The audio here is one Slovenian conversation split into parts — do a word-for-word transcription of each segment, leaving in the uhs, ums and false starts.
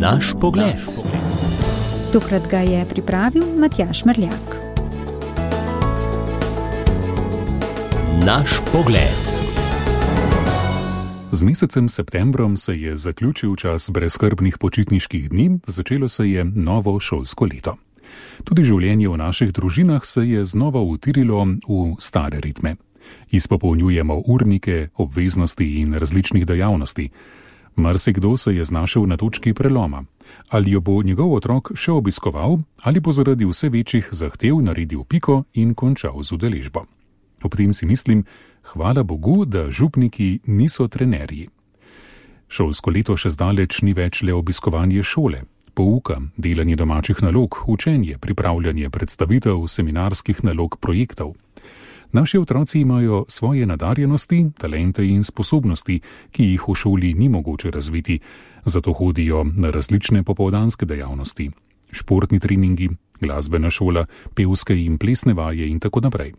Naš pogled. Tokrat ga je pripravil Matjaž Merljak. Naš pogled. Z mesecem septembrom se je zaključil čas brezskrbnih počitniških dni, začelo se je novo šolsko leto. Tudi življenje v naših družinah se je znova utirilo v stare ritme. Izpopolnjujemo urnike, obveznosti in različnih dejavnosti. Marsikdo se je znašel na točki preloma. Ali jo bo njegov otrok še obiskoval, ali bo zaradi vse večjih zahtev naredil piko in končal z udeležbo. Ob tem si mislim, hvala Bogu, da župniki niso trenerji. Šolsko leto še zdaleč ni več le obiskovanje šole, pouka, delanje domačih nalog, učenje, pripravljanje predstavitev, seminarskih nalog, projektov. Naši otroci imajo svoje nadarjenosti, talente in sposobnosti, ki jih v šoli ni mogoče razviti, zato hodijo na različne popoldanske dejavnosti, športni treningi, glasbena šola, pevske in plesne vaje in tako naprej.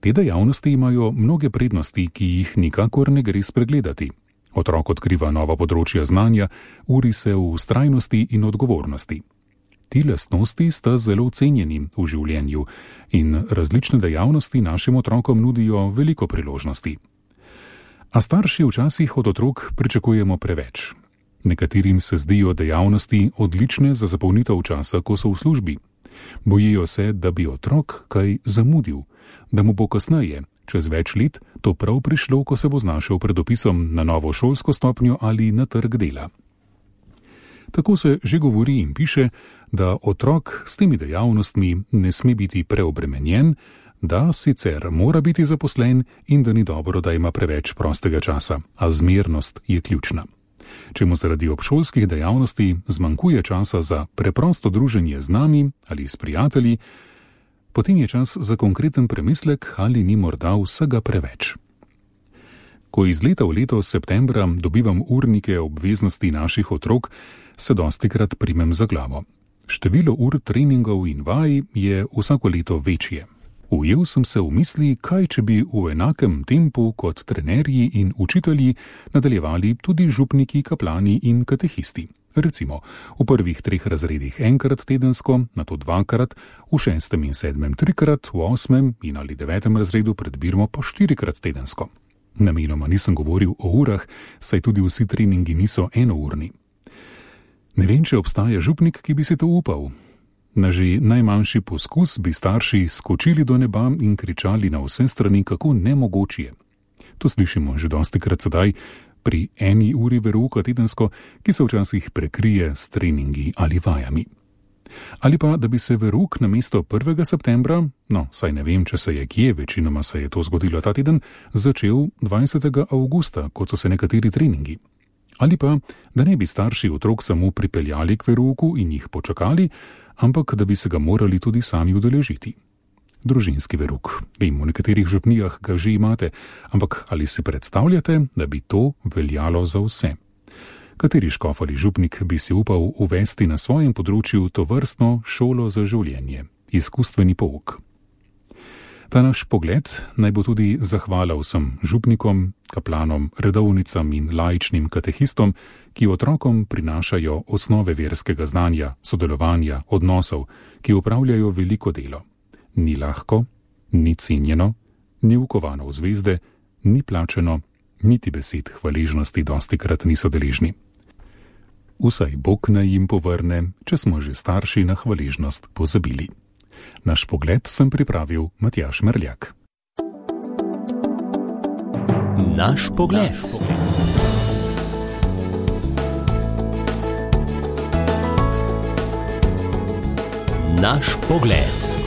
Te dejavnosti imajo mnoge prednosti, ki jih nikakor ne gre spregledati. Otrok odkriva nova področja znanja, uri se v vztrajnosti in odgovornosti. Ti lastnosti sta zelo cenjeni v življenju in različne dejavnosti našim otrokom nudijo veliko priložnosti. A starši včasih od otrok pričakujemo preveč. Nekaterim se zdijo dejavnosti odlične za zapolnitev časa, ko so v službi. Bojijo se, da bi otrok kaj zamudil, da mu bo kasneje, čez več let, to prav prišlo, ko se bo znašel pred opisom na novo šolsko stopnjo ali na trg dela. Tako se že govori in piše, da otrok s temi dejavnostmi ne sme biti preobremenjen, da sicer mora biti zaposlen in da ni dobro, da ima preveč prostega časa, a zmernost je ključna. Če mu zaradi obšolskih dejavnosti zmanjkuje časa za preprosto druženje z nami ali s prijatelji, potem je čas za konkreten premislek, ali ni morda vsega preveč. Ko iz leta v leto septembra dobivam urnike obveznosti naših otrok, se dostikrat primem za glavo. Število ur treningov in vaj je vsako leto večje. Ujel sem se v misli, kaj če bi v enakem tempu kot trenerji in učitelji nadaljevali tudi župniki, kaplani in katehisti. Recimo, v prvih treh razredih enkrat tedensko, nato dvakrat, v šestem in sedmem trikrat, v osmem in ali devetem razredu pred birmo pa štirikrat tedensko. Namenoma nisem govoril o urah, saj tudi vsi treningi niso enourni. Ne vem, če obstaja župnik, ki bi si to upal. Na že najmanjši poskus bi starši skočili do neba in kričali na vse strani, kako nemogoč je. To slišimo že dostikrat sedaj pri eni uri verouka tedensko, ki se včasih prekrije s treningi ali vajami. Ali pa, da bi se verouk namesto prvega septembra, no, saj ne vem, če se je kje, večinoma se je to zgodilo ta teden, začel dvajsetega avgusta, kot so se nekateri treningi. Ali pa, da ne bi starši otrok samo pripeljali k verouku in jih počakali, ampak da bi se ga morali tudi sami udeležiti. Družinski verouk. Vem, v nekaterih župnijah ga že imate, ampak ali si predstavljate, da bi to veljalo za vse? Kateri škof ali župnik bi si upal uvesti na svojem področju to vrstno šolo za življenje, izkustveni pouk? Ta naš pogled naj bo tudi zahvala vsem župnikom, kaplanom, redovnicam in laičnim katehistom, ki otrokom prinašajo osnove verskega znanja, sodelovanja, odnosov, ki upravljajo veliko delo. Ni lahko, ni cenjeno, ni ukovano v zvezde, ni plačeno, niti besed hvaležnosti dostikrat niso deležni. Vsaj Bog naj jim povrne, če smo že starši na hvaležnost pozabili. Naš pogled sem pripravil Matjaž Merljak. Naš pogled. Naš pogled.